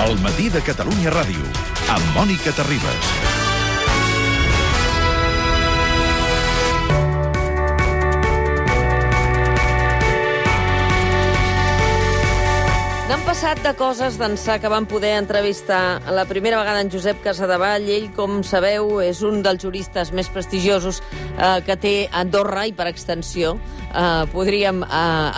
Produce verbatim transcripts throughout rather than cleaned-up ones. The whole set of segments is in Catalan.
El matí de Catalunya Ràdio, amb Mònica Terribas. N'han passat de coses d'ençà que vam poder entrevistar la primera vegada en Josep Casadevall. Ell, com sabeu, és un dels juristes més prestigiosos eh, que té Andorra i, per extensió, eh, podríem eh,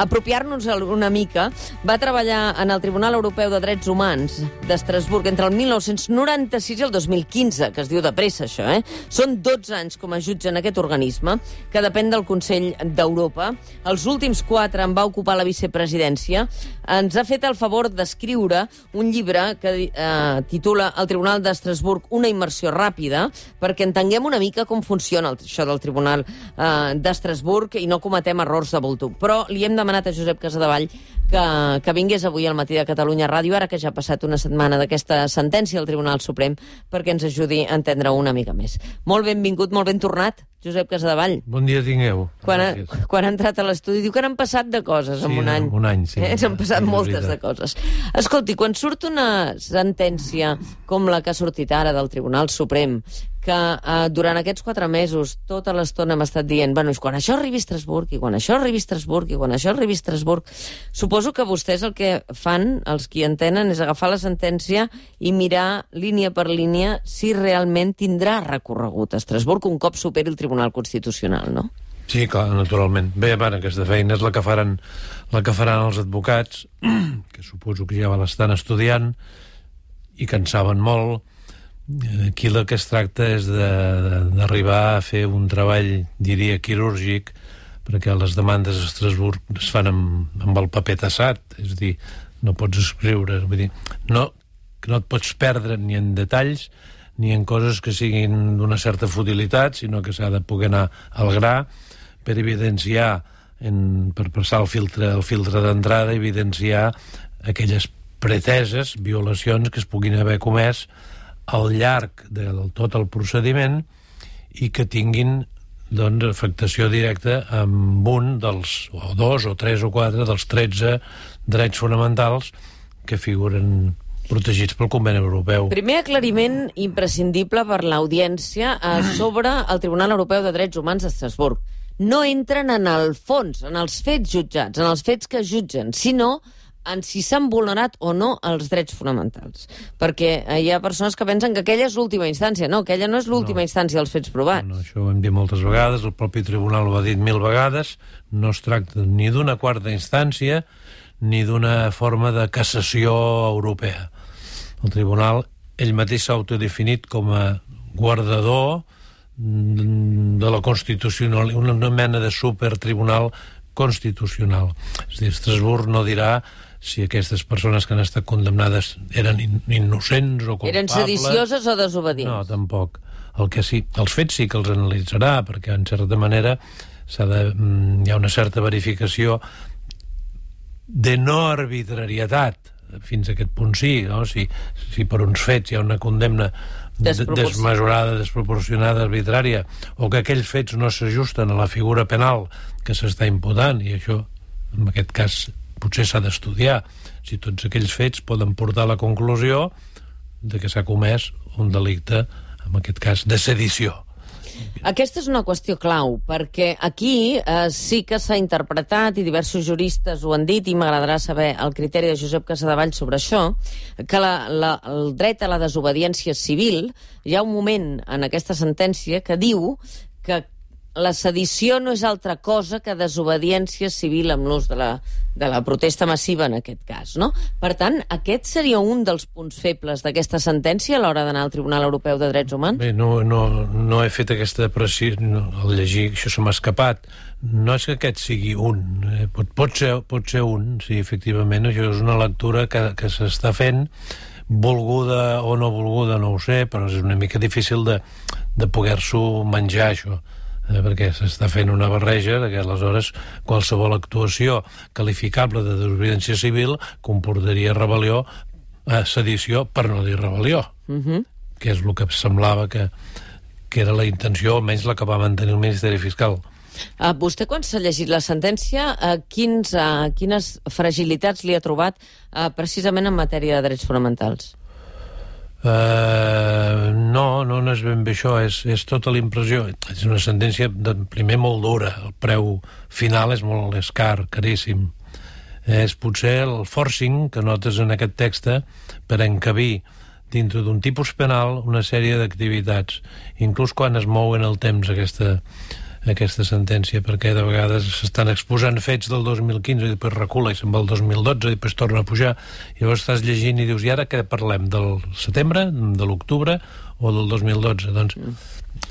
apropiar-nos una mica. Va treballar en el Tribunal Europeu de Drets Humans d'Estrasburg entre el mil nou-cents noranta-sis i el dos mil quinze, que es diu de pressa, això, eh? Són dotze anys com a jutge en aquest organisme, que depèn del Consell d'Europa. Els últims quatre en va ocupar la vicepresidència. Ens ha fet el favor d'escriure un llibre que eh, titula El Tribunal d'Estrasburg, una immersió ràpida, perquè entenguem una mica com funciona el, això del Tribunal eh, d'Estrasburg i no cometem errors de voltuc. Però li hem demanat a Josep Casadevall que, que vingués avui al matí de Catalunya Ràdio, ara que ja ha passat una setmana d'aquesta sentència del Tribunal Suprem, perquè ens ajudi a entendre una mica més. Molt benvingut, molt ben tornat, Josep Casadevall. Bon dia tingueu. Quan ha, quan ha entrat a l'estudi, diu que n'han passat de coses sí, en un any. un any, sí. Eh? S'han passat sí, moltes de coses. Escolti, quan surt una sentència com la que ha sortit ara del Tribunal Suprem, que eh, durant aquests quatre mesos tota l'estona hem estat dient, bueno, quan això arribi a Estrasburg, i quan això arribi a Estrasburg, i quan això arribi a Estrasburg, suposo que vostès el que fan, els qui entenen, és agafar la sentència i mirar línia per línia si realment tindrà recorregut a Estrasburg un cop superi el Tribunal Constitucional, no? Sí, clar, naturalment. Bé, bueno, aquesta feina és la que faran, la que faran els advocats, que suposo que ja l'estan estudiant i que en saben molt. Aquí el que es tracta és d'arribar a fer un treball, diria, quirúrgic, perquè les demandes a Estrasburg es fan amb, amb el paper tassat, és a dir, no pots escriure, vull dir, no, no et pots perdre ni en detalls ni en coses que siguin d'una certa futilitat, sinó que s'ha de poder anar al gra per evidenciar, en, per passar el filtre, el filtre d'entrada, evidenciar aquelles preteses, violacions que es puguin haver comès al llarg de tot el procediment i que tinguin doncs, afectació directa amb un dels, o dos, o tres, o quatre dels tretze drets fonamentals que figuren protegits pel Conveni Europeu. Primer aclariment imprescindible per l'audiència eh, sobre el Tribunal Europeu de Drets Humans d'Estrasburg. No entren en el fons, en els fets jutjats, en els fets que jutgen, sinó en si s'han vulnerat o no els drets fonamentals. Perquè hi ha persones que pensen que aquella és l'última instància. No, aquella no és l'última no. instància dels fets provats. No, no, això ho hem dit moltes vegades, el propi tribunal ho ha dit mil vegades, no es tracta ni d'una quarta instància ni d'una forma de cassació europea. El tribunal, ell mateix s'ha autodefinit com a guardador de la Constitucional, una, una mena de supertribunal constitucional. És a dir, Estrasburg no dirà si aquestes persones que han estat condemnades eren in innocents o culpables. Eren sedicioses o desobedients? No, tampoc. El que sí, els fets sí que els analitzarà, perquè en certa manera s'ha de, hi ha una certa verificació de no arbitrarietat, fins a aquest punt sí, no? Si, si per uns fets hi ha una condemna desmesurada, desproporcionada, arbitrària, o que aquells fets no s'ajusten a la figura penal que s'està imputant, i això, en aquest cas, potser s'ha d'estudiar si tots aquells fets poden portar a la conclusió de que s'ha comès un delicte, en aquest cas, de sedició. Aquesta és una qüestió clau, perquè aquí eh, sí que s'ha interpretat, i diversos juristes ho han dit, i m'agradarà saber el criteri de Josep Casadevall sobre això, que la, la, el dret a la desobediència civil, hi ha un moment en aquesta sentència que diu que la sedició no és altra cosa que desobediència civil amb l'ús de la, de la protesta massiva en aquest cas, no? Per tant, aquest seria un dels punts febles d'aquesta sentència a l'hora d'anar al Tribunal Europeu de Drets Humans? Bé, no, no, no he fet aquesta precisió, no, al llegir això se m'ha escapat. No és que aquest sigui un, eh, pot, pot, ser, pot ser un, sí, efectivament, això és una lectura que, que s'està fent, volguda o no volguda, no ho sé, però és una mica difícil de, de poder-s'ho menjar, això. Eh, perquè s'està fent una barreja que aleshores qualsevol actuació qualificable de desobediència civil comportaria rebel·lió, eh, sedició, per no dir rebel·lió, uh-huh. que és el que semblava que, que era la intenció, almenys la que va mantenir el Ministeri Fiscal. Uh, vostè, quan s'ha llegit la sentència, uh, quins, uh, quines fragilitats li ha trobat uh, precisament en matèria de drets fonamentals? Uh, no, no, no és ben bé això, és, és tota la impressió. És una sentència, de, primer, molt dura. El preu final és molt és car, caríssim. És potser el forcing que notes en aquest text per encabir dintre d'un tipus penal una sèrie d'activitats, inclús quan es mou en el temps aquesta, aquesta sentència, perquè de vegades s'estan exposant fets del dos mil quinze i després recula i se'n va al dos mil dotze i després torna a pujar, i llavors estàs llegint i dius, i ara què parlem, del setembre, de l'octubre o del dos mil dotze? Doncs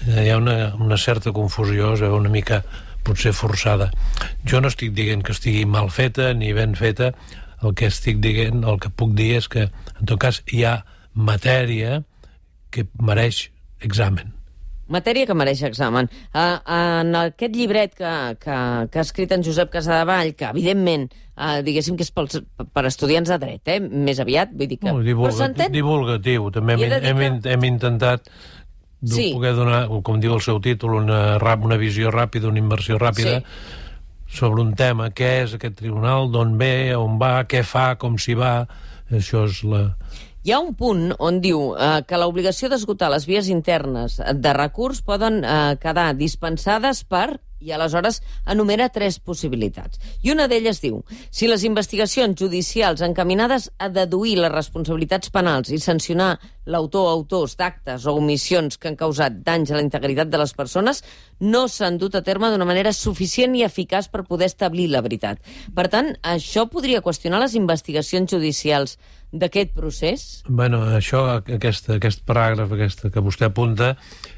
hi ha una, una certa confusió, es veu una mica potser forçada. Jo no estic dient que estigui mal feta ni ben feta, el que estic dient, el que puc dir és que en tot cas hi ha matèria que mereix examen. Matèria que mereix examen. Uh, en aquest llibret que, que, que ha escrit en Josep Casadevall, que evidentment, uh, diguéssim que és pels, per estudiants de dret, eh? Més aviat, vull dir que... No, divulga, divulgatiu, també hem, hem, hem, hem intentat sí. poder donar, com diu el seu títol, una, una visió ràpida, una inversió ràpida, sí. sobre un tema, què és aquest tribunal, d'on ve, on va, què fa, com s'hi va, això és la... Hi ha un punt on diu eh, que l'obligació d'esgotar les vies internes de recurs poden eh, quedar dispensades per... i aleshores enumera tres possibilitats. I una d'elles diu, si les investigacions judicials encaminades a deduir les responsabilitats penals i sancionar l'autor o autors d'actes o omissions que han causat danys a la integritat de les persones no s'han dut a terme d'una manera suficient i eficaç per poder establir la veritat. Per tant, això podria qüestionar les investigacions judicials d'aquest procés? Bueno, això, aquest, aquest paràgraf aquesta que vostè apunta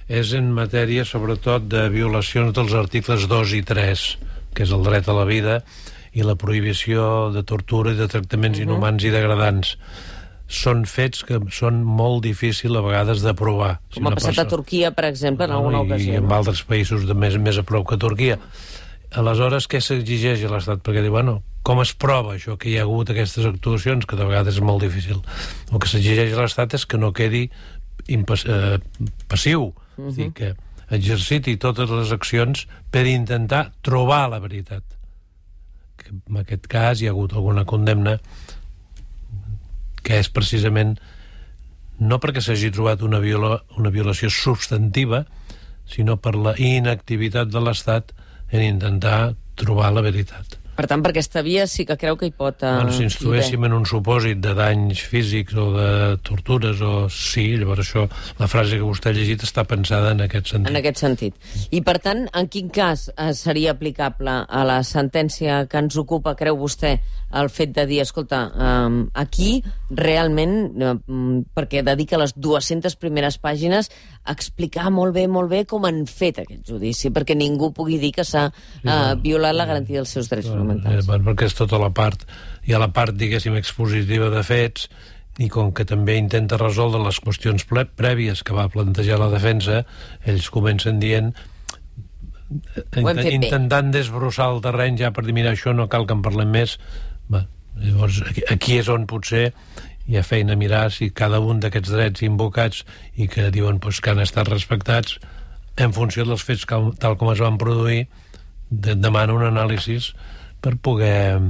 és en matèria, sobretot, de violacions dels articles dos i tres, que és el dret a la vida i la prohibició de tortura i de tractaments uh-huh. inhumans i degradants. Són fets que són molt difícils a vegades d'aprovar. Com si ha passat persona... a Turquia, per exemple, en alguna ocasió. I en altres països de més, més a prop que Turquia. Aleshores, què s'exigeix a l'Estat? Perquè diu, bueno, com es prova això, que hi ha hagut aquestes actuacions, que de vegades és molt difícil? El que s'exigeix a l'Estat és que no quedi impas, eh, passiu, uh-huh. és dir, que exerciti totes les accions per intentar trobar la veritat. Que en aquest cas hi ha hagut alguna condemna que és precisament no perquè s'hagi trobat una, viola, una violació substantiva, sinó per la inactivitat de l'Estat en intentar trobar la veritat. Per tant, per aquesta via sí que creu que hi pot... Uh, bueno, si ens trobéssim en un supòsit de danys físics o de tortures, o sí, llavors això, la frase que vostè ha llegit està pensada en aquest sentit. En aquest sentit. I, per tant, en quin cas uh, seria aplicable a la sentència que ens ocupa, creu vostè, el fet de dir, escolta, um, aquí realment, um, perquè dedica les dues-centes primeres pàgines a explicar molt bé, molt bé com han fet aquest judici, perquè ningú pugui dir que s'ha uh, violat la garantia dels seus drets fonamentals. Eh, perquè és tota la part, hi ha la part, diguéssim, expositiva de fets, i com que també intenta resoldre les qüestions prèvies que va plantejar la defensa, ells comencen dient, intentant desbrossar el terreny ja per dir, mira, això no cal que en parlem més. Bé, llavors, aquí, aquí és on potser hi ha feina a mirar si cada un d'aquests drets invocats i que diuen pues, que han estat respectats en funció dels fets cal, tal com es van produir, de, demana un anàlisi per poder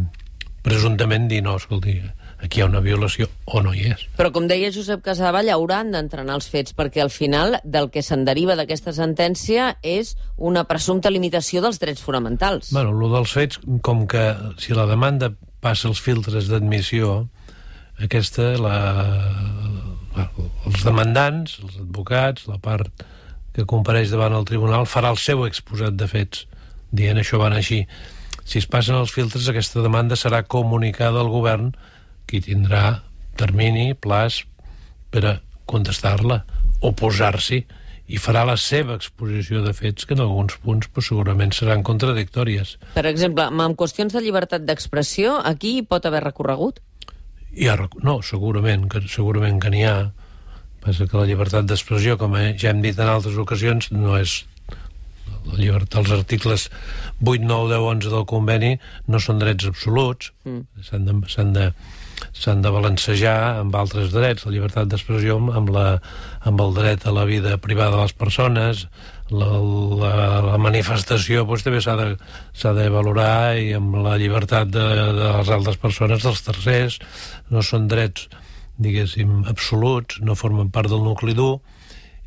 presumptament dir no, escolti, aquí hi ha una violació o no hi és. Però com deia Josep Casadevall, hauran d'entrenar els fets, perquè al final del que se'n deriva d'aquesta sentència és una presumpta limitació dels drets fonamentals. Bueno, el dels fets, com que si la demanda passa els filtres d'admissió, aquesta, la, la, els demandants, els advocats, la part que compareix davant el tribunal, farà el seu exposat de fets, dient això van així. Si es passen els filtres, aquesta demanda serà comunicada al govern, qui tindrà termini, plaç, per a contestar-la, oposar-s'hi, i farà la seva exposició de fets que en alguns punts pues, segurament seran contradictòries. Per exemple, en qüestions de llibertat d'expressió, aquí hi pot haver recorregut? Hi ha, no, segurament que, segurament que n'hi ha. Passa que la llibertat d'expressió, com ja hem dit en altres ocasions, no és... La llibertat, els articles vuit, nou, deu, onze del conveni no són drets absoluts, mm. s'han de, s'han de s'han de balancejar amb altres drets, la llibertat d'expressió amb, la, amb el dret a la vida privada de les persones, la, la, la manifestació doncs, també s'ha de, s'ha de valorar, i amb la llibertat de, de les altres persones, dels tercers. No són drets, diguéssim, absoluts, no formen part del nucli dur,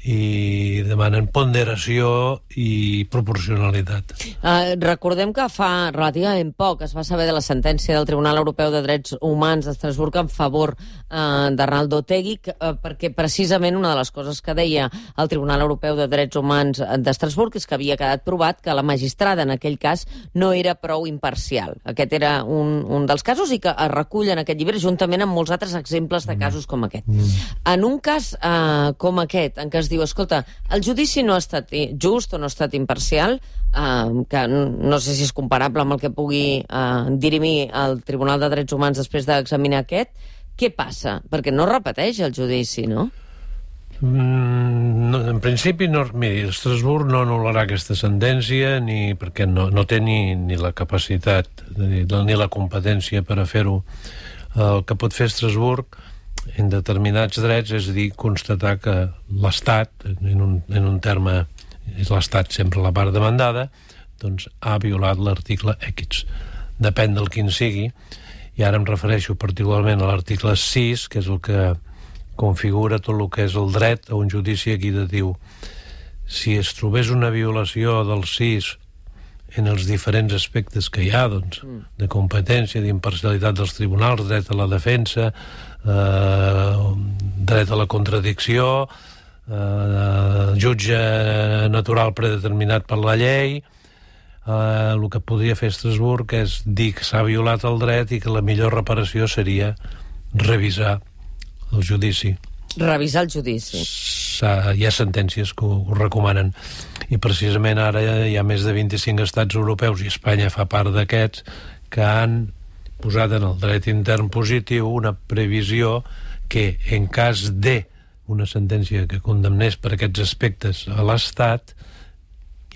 i demanen ponderació i proporcionalitat. Uh, recordem que fa relativament poc es va saber de la sentència del Tribunal Europeu de Drets Humans d'Estrasburg en favor uh, d'Arnaldo Otegi, uh, perquè precisament una de les coses que deia el Tribunal Europeu de Drets Humans d'Estrasburg és que havia quedat provat que la magistrada en aquell cas no era prou imparcial. Aquest era un, un dels casos, i que es recull en aquest llibre juntament amb molts altres exemples de casos com aquest. Mm. En un cas uh, com aquest, en què es diu, escolta, el judici no ha estat just o no ha estat imparcial, eh, que no sé si és comparable amb el que pugui eh, dirimir el Tribunal de Drets Humans després d'examinar aquest, què passa? Perquè no repeteix el judici, no? Mm, no en principi, no, miri, Estrasburg no anul·larà aquesta sentència, ni perquè no, no té ni, ni la capacitat ni, ni la competència per a fer-ho. El que pot fer Estrasburg en determinats drets és dir, constatar que l'Estat, en un, en un terme, és l'Estat sempre la part demandada, doncs ha violat l'article X. Depèn del quin sigui, i ara em refereixo particularment a l'article sis, que és el que configura tot el que és el dret a un judici equitatiu. Si es trobés una violació del sis en els diferents aspectes que hi ha, doncs, de competència, d'imparcialitat dels tribunals, dret a la defensa, eh, dret a la contradicció, eh, jutge natural predeterminat per la llei, eh, el que podria fer Estrasburg és dir que s'ha violat el dret i que la millor reparació seria revisar el judici. Revisar el judici. Hi ha sentències que ho, ho recomanen, i precisament ara hi ha més de vint-i-cinc estats europeus, i Espanya fa part d'aquests, que han posat en el dret intern positiu una previsió que en cas de una sentència que condemnés per aquests aspectes a l'Estat,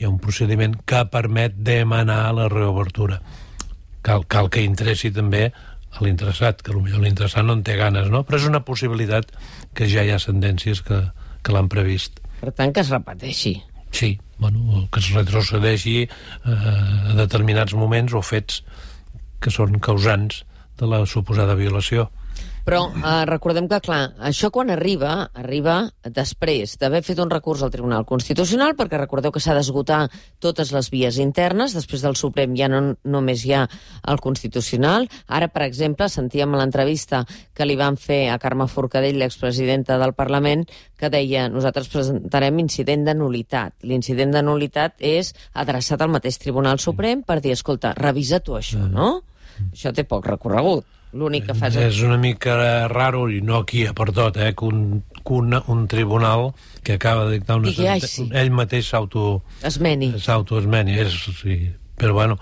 hi ha un procediment que permet demanar la reobertura. Cal, cal que interessi també a l'interessat, que potser l'interessat no en té ganes, no? Però és una possibilitat que ja hi ha sentències que, que l'han previst. Per tant, que es repeteixi. Sí, bueno, que es retrocedeixi eh, a determinats moments o fets que són causants de la suposada violació. Però eh, recordem que, clar, això quan arriba, arriba després d'haver fet un recurs al Tribunal Constitucional, perquè recordeu que s'ha d'esgotar totes les vies internes, després del Suprem ja no només hi ha el Constitucional. Ara, per exemple, sentíem a l'entrevista que li van fer a Carme Forcadell, l'expresidenta del Parlament, que deia, nosaltres presentarem incident de nul·litat. L'incident de nul·litat és adreçat al mateix Tribunal Suprem per dir, escolta, revisa tu això, no? Això té poc recorregut. L'únic que fas... És una mica raro, i no aquí per tot, eh, que un, que un, un tribunal que acaba de dictar una Digui, ai, sí. ell mateix s'auto... Esmeni. S'autoesmeni, és... Sí. Però, bueno,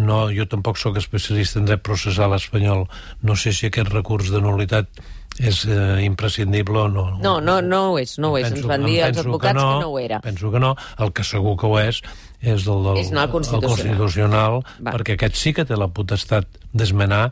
no, jo tampoc sóc especialista en dret processal espanyol. No sé si aquest recurs de nul·litat és eh, imprescindible o no. No, no, no ho és, no ho és. Penso, Ens van dir els advocats que no, que no ho era. Penso que no. El que segur que ho és és el del és el constitucional, el constitucional perquè aquest sí que té la potestat d'esmenar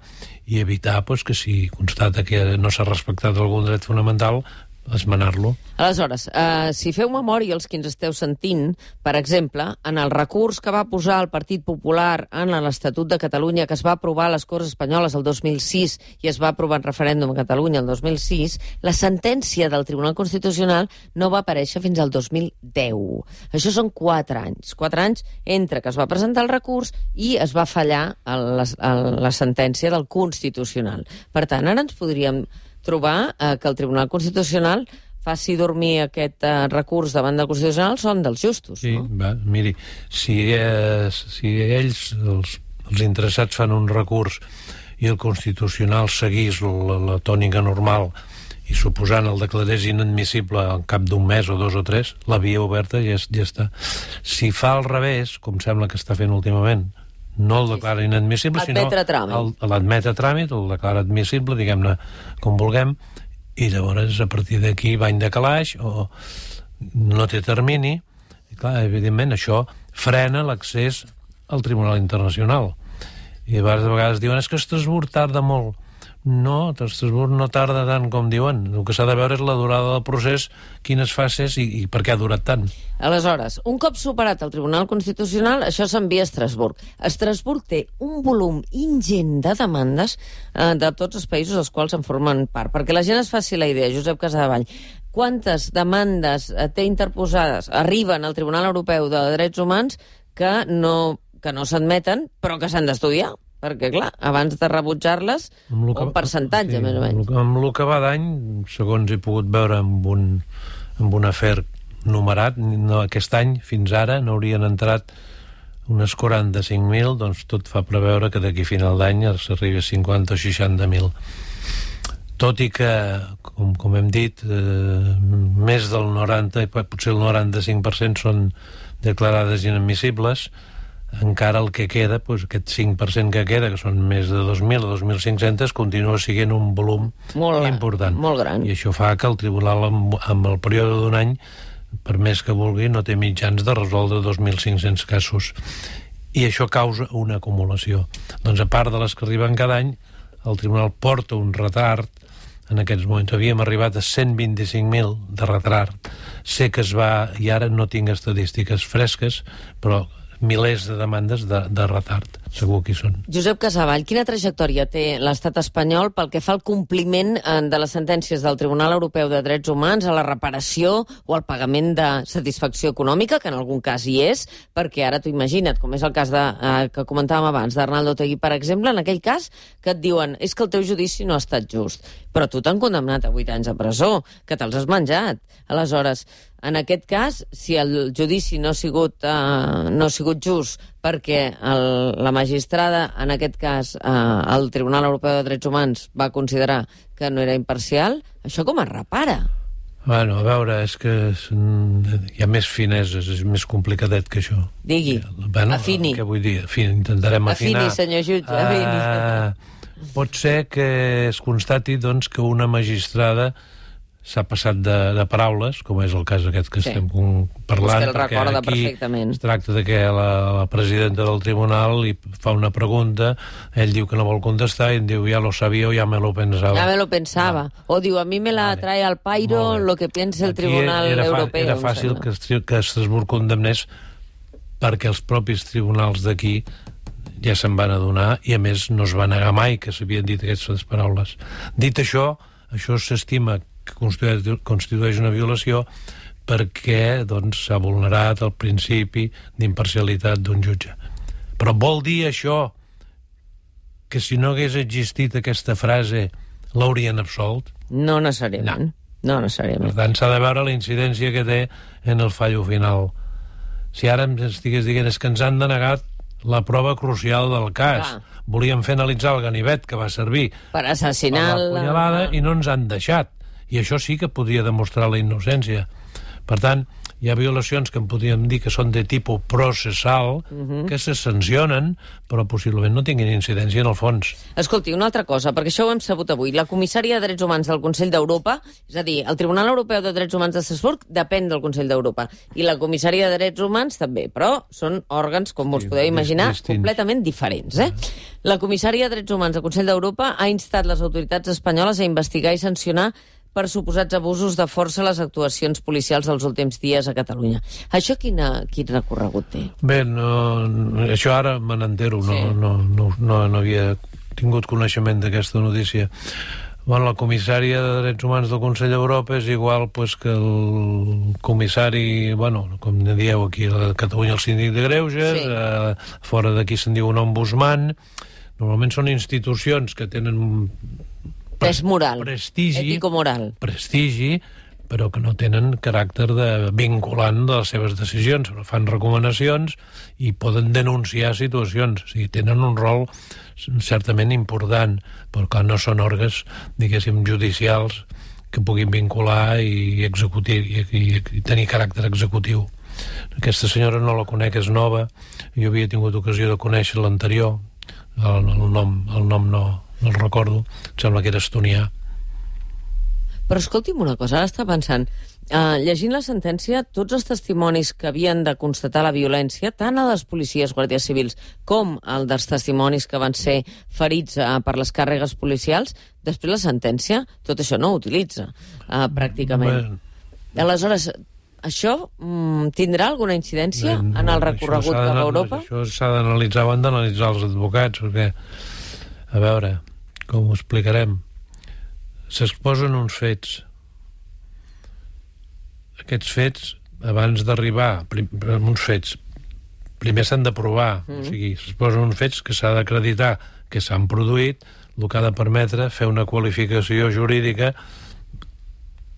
i evitar pues, que si constata que no s'ha respectat algun dret fonamental, esmenar-lo. Aleshores, eh, si feu memòria els que ens esteu sentint, per exemple, en el recurs que va posar el Partit Popular en l'Estatut de Catalunya, que es va aprovar a les Corts Espanyoles el dos mil sis i es va aprovar en referèndum a Catalunya el dos mil sis, la sentència del Tribunal Constitucional no va aparèixer fins al dos mil deu. Això són quatre anys. Quatre anys entre que es va presentar el recurs i es va fallar la, la sentència del Constitucional. Per tant, ara ens podríem trobar eh, que el Tribunal Constitucional faci dormir aquest eh, recurs davant del Constitucional són dels justos, sí, no? Va, miri, si, eh, si ells, els, els interessats, fan un recurs i el Constitucional seguís la, la tònica normal i suposant el declarés inadmissible al cap d'un mes o dos o tres, la via oberta ja, ja està. Si fa al revés, com sembla que està fent últimament, no el declara inadmissible, sinó l'admet a tràmit, el declara admissible, diguem-ne com vulguem, i llavors a partir d'aquí va en decalaix o no té termini, i clar, evidentment això frena l'accés al Tribunal Internacional. I a vegades diuen, és que Estrasburg tarda molt. No, Estrasburg no tarda tant com diuen. El que s'ha de veure és la durada del procés, quines fases i, i per què ha durat tant. Aleshores, un cop superat el Tribunal Constitucional, això s'envia a Estrasburg. Estrasburg té un volum ingent de demandes eh, de tots els països als quals en formen part. Perquè la gent es faci la idea, Josep Casadevall, quantes demandes eh, té interposades, arriben al Tribunal Europeu de Drets Humans que no, que no s'admeten, però que s'han d'estudiar. Perquè, clar, abans de rebutjar-les, un percentatge, sí, més o menys. Amb el que va d'any, segons he pogut veure amb un, amb un afer numerat, no, aquest any, fins ara, n'haurien entrat unes quaranta-cinc mil, doncs tot fa preveure que d'aquí a final d'any s'arribi a cinquanta o seixanta mil. Tot i que, com, com hem dit, eh, més del noranta, potser el noranta-cinc per cent són declarades inadmissibles, encara el que queda, doncs aquest cinc per cent que queda, que són més de dos mil o dos mil cinc-cents, continua sent un volum molt important. Molt gran. I això fa que el tribunal, amb, amb el període d'un any, per més que vulgui, no té mitjans de resoldre dos mil cinc-cents casos. I això causa una acumulació. Doncs a part de les que arriben cada any, el tribunal porta un retard. En aquests moments havíem arribat a cent vint-i-cinc mil de retard. Sé que es va, i ara no tinc estadístiques fresques, però milers de demandes de, de retard, segur que hi són. Josep Casadevall, quina trajectòria té l'estat espanyol pel que fa al compliment de les sentències del Tribunal Europeu de Drets Humans, a la reparació o al pagament de satisfacció econòmica, que en algun cas hi és, perquè ara t'ho imagina't, com és el cas de, eh, que comentàvem abans d'Arnaldo Otegi, per exemple, en aquell cas que et diuen és que el teu judici no ha estat just, però tu t'han condemnat a vuit anys a presó, que te'ls has menjat. Aleshores, en aquest cas, si el judici no ha sigut, eh, no ha sigut just perquè el, la magistrada, en aquest cas eh, el Tribunal Europeu de Drets Humans, va considerar que no era imparcial, això com es repara? Bueno, a veure, és que és, hi ha més fineses, és més complicadet que això. Digui, bueno, afini. Què vull dir? Afini, intentarem afinar. Afini, senyor jutge, afini. Uh, pot ser que es constati, doncs, que una magistrada s'ha passat de, de paraules, com és el cas aquest que sí. estem parlant, perquè aquí es tracta de que la, la presidenta del tribunal li fa una pregunta, ell diu que no vol contestar i em diu, ja lo sabia o ja me lo pensava. Ja me lo pensava. Ah. O diu, a mi me la vale. trae al pairo lo que piensa el aquí Tribunal era Europeu. Era fàcil que, que Estrasburg condemnés perquè els propis tribunals d'aquí ja se'n van adonar i a més no es va negar mai que s'havien dit aquestes paraules. Dit això, això s'estima que constitueix una violació perquè doncs, s'ha vulnerat el principi d'imparcialitat d'un jutge. Però vol dir això que si no hagués existit aquesta frase l'haurien absolt? No necessàriament. No. no necessàriament. Per tant, s'ha de veure la incidència que té en el fallo final. Si ara em estigués dient és que ens han denegat la prova crucial del cas. Ah. Volíem fer analitzar el ganivet que va servir per assassinar la punyalada i no ens han deixat. I això sí que podria demostrar la innocència. Per tant, hi ha violacions que en podríem dir que són de tipus processal, uh-huh. que se sancionen, però possiblement no tinguin incidència en el fons. Escolti, una altra cosa, perquè això ho hem sabut avui. La comissària de Drets Humans del Consell d'Europa, és a dir, el Tribunal Europeu de Drets Humans d'Estrasburg depèn del Consell d'Europa, i la comissària de Drets Humans també, però són òrgans, com us sí, podeu imaginar, distints. completament diferents. Eh? La comissària de Drets Humans del Consell d'Europa ha instat les autoritats espanyoles a investigar i sancionar per suposats abusos de força a les actuacions policials dels últims dies a Catalunya. Això quina, quin recorregut té? Bé, no, això ara me n'entero, sí. no, no, no, no, no havia tingut coneixement d'aquesta notícia. Bueno, la comissària de Drets Humans del Consell d'Europa és igual pues, que el comissari, bueno, com dieu aquí a Catalunya, el síndic de Greuges, sí. eh, fora d'aquí se'n diu un ombudsman. Normalment són institucions que tenen pes moral, prestigi, ètico-moral. Prestigi, però que no tenen caràcter de vinculant de les seves decisions. Fan recomanacions i poden denunciar situacions. O sigui, tenen un rol certament important, però que no són òrgans, diguéssim, judicials que puguin vincular i executir i, i, i tenir caràcter executiu. Aquesta senyora no la conec, és nova. Jo havia tingut ocasió de conèixer l'anterior. El, el nom, el nom no... no el recordo, em sembla que era estonià. Però escolti'm una cosa, ara està pensant, uh, llegint la sentència, tots els testimonis que havien de constatar la violència, tant a les policies, guàrdies civils, com el dels testimonis que van ser ferits uh, per les càrregues policials, després la sentència, tot això no ho utilitza, uh, pràcticament. Bé. Aleshores, això mm, tindrà alguna incidència Bé, no, en el recorregut cap a Europa? Això s'ha d'analitzar, ho han d'analitzar els advocats, perquè, a veure, com ho explicarem, s'exposen uns fets. Aquests fets, abans d'arribar, uns fets, primer s'han de provar, mm. o sigui, s'exposen uns fets que s'ha d'acreditar que s'han produït, el que ha de permetre fer una qualificació jurídica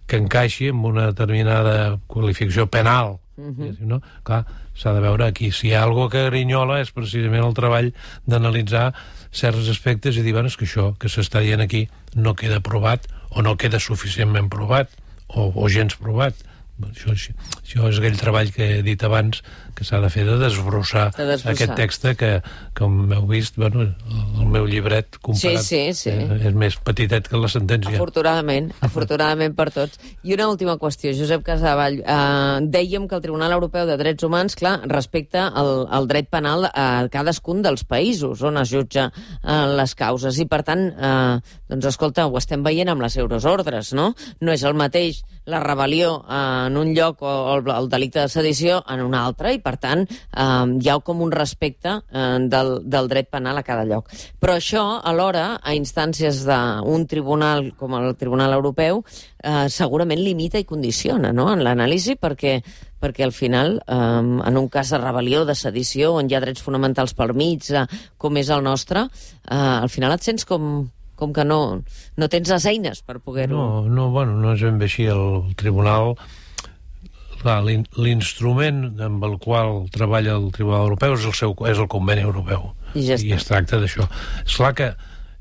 que encaixi amb una determinada qualificació penal. Mm-hmm. No? Clar, s'ha de veure aquí. Si hi ha alguna que grinyola és precisament el treball d'analitzar certs aspectes i dir, bueno, és que això que s'està dient aquí no queda provat o no queda suficientment provat o, o gens provat. Això, això és aquell treball que he dit abans que s'ha de fer de desbrossar, de desbrossar. Aquest text que, com heu vist, bueno, el meu llibret comparat sí, sí, sí. Eh, és més petitet que la sentència. Afortunadament, afortunadament per tots. I una última qüestió, Josep Casadevall. Eh, dèiem que el Tribunal Europeu de Drets Humans, clar, respecta el, el dret penal a cadascun dels països on es jutja eh, les causes. I, per tant, eh, doncs, escolta, ho estem veient amb les euroordres, no? No és el mateix la rebel·lió en un lloc o el, el delicte de sedició en un altre, i per tant eh, hi ha com un respecte eh, del, del dret penal a cada lloc. Però això, alhora, a instàncies d'un tribunal com el Tribunal Europeu, eh, segurament limita i condiciona, no?, en l'anàlisi, perquè perquè al final, eh, en un cas de rebel·lió, de sedició, on hi ha drets fonamentals pel mig, eh, com és el nostre, eh, al final et sents com... com que no, no tens les eines per poder-ho... No, no, bueno, no és ben bé així. El tribunal, l'instrument amb el qual treballa el Tribunal Europeu és el, seu, és el conveni europeu. I ja està. I es tracta d'això. És clar que,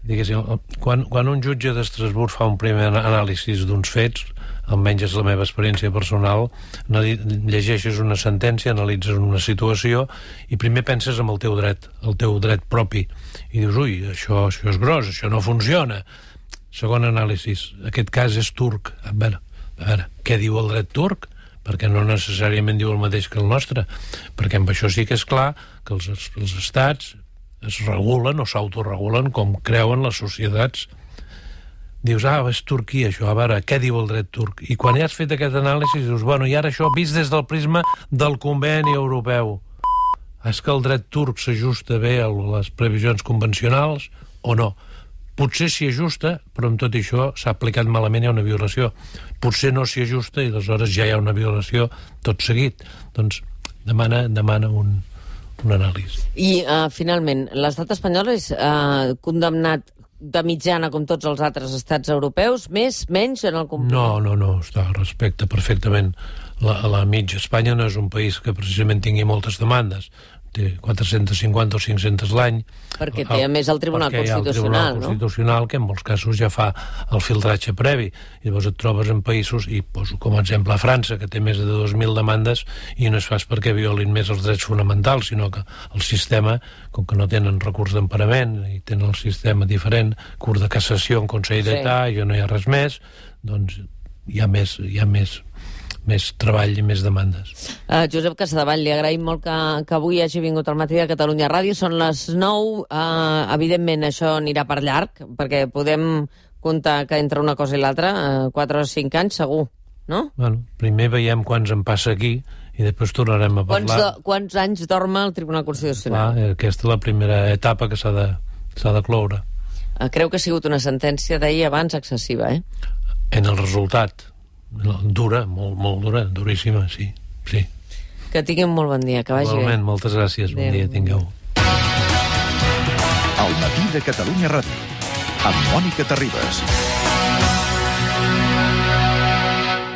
diguéssim, quan, quan un jutge d'Estrasburg fa un primer anàlisi d'uns fets, almenys és la meva experiència personal, llegeixes una sentència, analitzes una situació i primer penses en el teu dret, el teu dret propi, i dius, ui, això, això és gros, això no funciona. Segon anàlisi, aquest cas és turc. A veure, a veure, què diu el dret turc? Perquè no necessàriament diu el mateix que el nostre, perquè amb això sí que és clar que els, els estats es regulen o s'autoregulen com creuen les societats. Dius, ah, és Turquia això, a veure, què diu el dret turc? I quan ja has fet aquest anàlisi dius, bueno, i ara això vist des del prisma del conveni europeu. És que el dret turc s'ajusta bé a les previsions convencionals o no? Potser s'hi ajusta, però amb tot això s'ha aplicat malament, hi ha una violació. Potser no s'hi ajusta i aleshores ja hi ha una violació tot seguit. Doncs demana, demana un, un anàlisi. I, uh, finalment, l'estat espanyol és uh, condemnat de mitjana com tots els altres estats europeus, més, menys en el compliment? No, no, no, està, respecta perfectament. La, la mitja Espanya no és un país que precisament tingui moltes demandes. Té quatre-cents cinquanta o cinc-cents l'any. Perquè té, a més, el Tribunal Constitucional, el Tribunal no? Constitucional, que en molts casos ja fa el filtratge previ. I llavors et trobes en països, i poso com a exemple a França, que té més de dos mil demandes, i no es fa perquè violin més els drets fonamentals, sinó que el sistema, com que no tenen recurs d'emparament, i tenen el sistema diferent, curs de cassació en Consell d'Estat, sí. I no hi ha res més, doncs hi ha més... Hi ha més més treball i més demandes. Uh, Josep Casadevall, li agraïm molt que, que avui hagi vingut al matí de Catalunya Ràdio. Són les nou. Uh, evidentment, això anirà per llarg, perquè podem comptar que entre una cosa i l'altra, uh, quatre o cinc anys, segur, no? Bueno, primer veiem quants en passa aquí i després tornarem a parlar. Quants, do, quants anys dorma el Tribunal Constitucional? Clar, aquesta és la primera etapa que s'ha de, s'ha de cloure. Uh, creu que ha sigut una sentència, deia abans, excessiva, eh? En el resultat. Dura, molt, molt dura, duríssima, sí, sí. Que tinguin molt bon dia, que vagi Igualment, bé. Moltes gràcies, bon dia, tingueu. El matí de Catalunya Ràdio, amb Mònica Terribas.